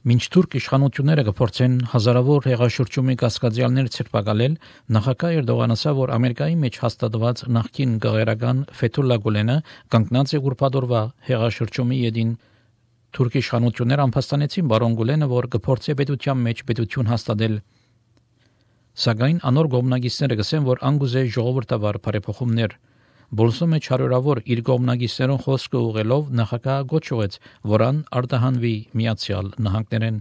Մինչ թուրք իշխանությունները կփորձեն հազարավոր հեղաշրջումի կասկածյալներ ցրպակալել, նախագահ Էրդողանը ասավ, որ Ամերիկայի մեջ հաստատված նախկին գաղերական Ֆեթուլլա Գուլենը կանգնած է ուրբաթօրվա հեղաշրջումի ետին։ Թուրք իշխանությունները ամփոստանեցին բարոն Գուլենը, որ կփորձի պետության մեջ պետություն հաստատել։ Սակայն անոր գոմնագիստները գսեն, որ անգուզե ժողովրդավար բարեփոխումներ։ Բոլսո մեջ հարյուրավոր իր գոմնագիստերուն խոսքը ուղղելով նախագահ գոչուեց, որան արտահանվի Միացյալ Նահանգներեն։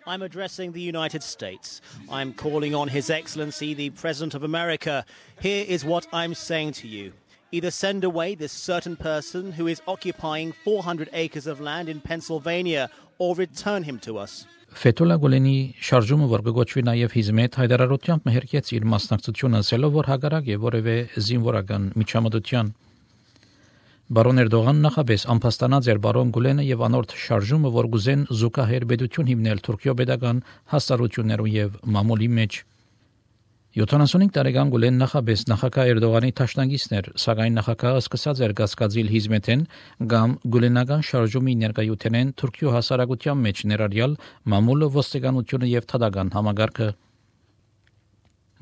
I'm addressing the United States. I'm calling on His Excellency, the President of America. Here is what I'm saying to you. Either send away this certain person who is occupying 400 acres of land in Pennsylvania or return him to us. Ֆեթուլլա Գուլենի շարժումը, որ կգոչվի նաև Հիզմեթ, հայտարարությամբ մերկեց իր մասնակցությունը, ասելով, որ հակառակ է որևէ զինվորական միջամտության։ Բարոն Էրդողան նախապես ամփոստանած էր բարոն Գուլենը եւ անորդ շարժումը, որ գուզեն զուգահեռ պետություն հիմնել Թուրքիո պետական հաստատություններու եւ մամուլի մեջ։ 75 տարեկան Գուլեն նախապես նախագահ Էրդողանի տաշնակիցն էր, սակայն նախագահը սկսած էր գասկածիլ Հիզմեթեն կամ գուլենական շարժումի ներկայութենեն Թուրքիո հասարակության մեջ ներառյալ մամուլը, ոստիկանությունը եւ թադական համագարկը։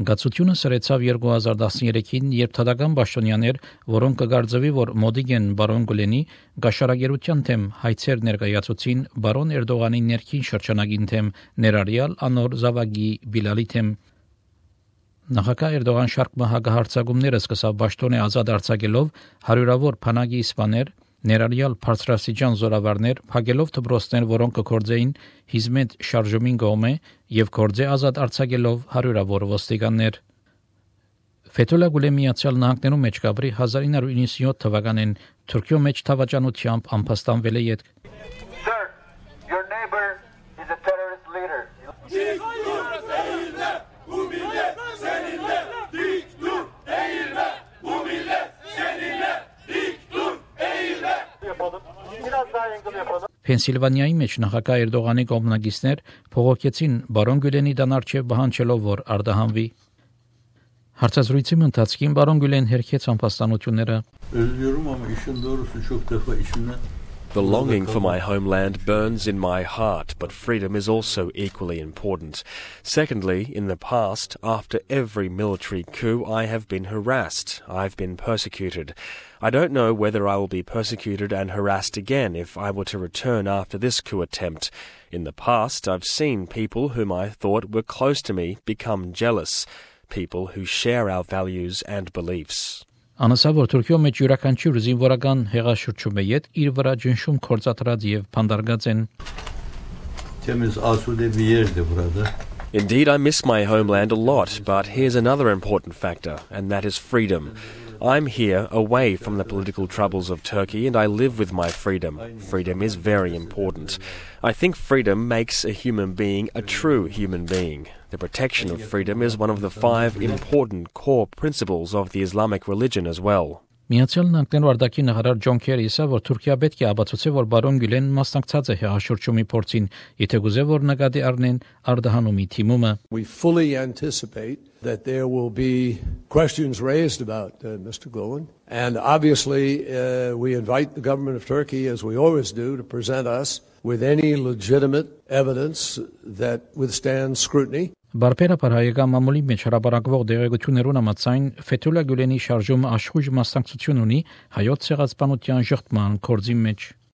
Գացությունը սրեցավ 2013-ին, երբ թադական պաշտոնյաներ, որոնք կգարձվի, որ մոդիկ են բարոն Գուլենի, գաշարագերության թեմ հայցեր ներկայացուցին բարոն Էրդողանի ներքին շրջանագին թեմ, ներառյալ անոր զավակի Բիլալի թեմ։ Նախագահ Էրդողան շարք հակահարձակումները սկսավ պաշտոնե ազատ արձակելով հարյուրավոր բանակի իսպաներ, ներառյալ բարձրաստիճան զորավարներ, փակելով դպրոցներ, որոնք կգործեին Հիզմեթ շարժումին կողմէ եւ գործե ազատ արձակելով հարյուրավոր ոստիկաններ։ Ֆեթուլլա Գուլեն Միացյալ Նահանգներում մեջ կապրի 1997 թվականին Թուրքիո մեջ թավաճանությամբ ամփոստանվել է յետք։ Sir, your neighbor is a terrorist leader. Փենսիլվանիայի մեջ նախագահ Էրդողանի կողմնակիցներ փողոքեցին բարոն Գուլենի դանարչև բանջելով, որ արտահանվի։ Հարցազրույցի ընթացքին բարոն Գուլեն հերքեց ամփոստանությունները։ The longing for my homeland burns in my heart, but freedom is also equally important. Secondly, in the past, after every military coup, I have been harassed. I've been persecuted. I don't know whether I will be persecuted and harassed again if I were to return after this coup attempt. In the past, I've seen people whom I thought were close to me become jealous, people who share our values and beliefs. Անասա, որ Թուրքիո մեջ յուրաքանչյուր զինվորական հեղաշրջում է յետ իր վրա ջնշում կործատրած եւ փանդարգած են։ Indeed, I miss my homeland a lot, but here's another important factor, and that is freedom. I'm here away from the political troubles of Turkey, and I live with my freedom. Freedom is very important. I think freedom makes a human being a true human being. The protection of freedom is one of the 5 important core principles of the Islamic religion as well. Միացյալ Նահանգներու արտաքին նախարար Ջոն Քերին ասավ, որ Թուրքիա պետք է ապացուցի, որ բարոն Գուլեն մասնակցած է հեղաշրջումի փորձին, եթե գուզե որ նկատի առնեն արտահանումի թիմումը։ We fully anticipate that there will be questions raised about Mr. Gulen, and obviously we invite the government of Turkey, as we always do, to present us with any legitimate evidence that withstands scrutiny. Բարբերաբար հայկական մամուլի մեջ հրապարակվող դեղեցություններուն համաձայն Ֆեթուլլա Գուլենի շարժումը աշխույժ մասնակցություն ունի հայոց ցեղասպանության շղթման կորձի մեջ։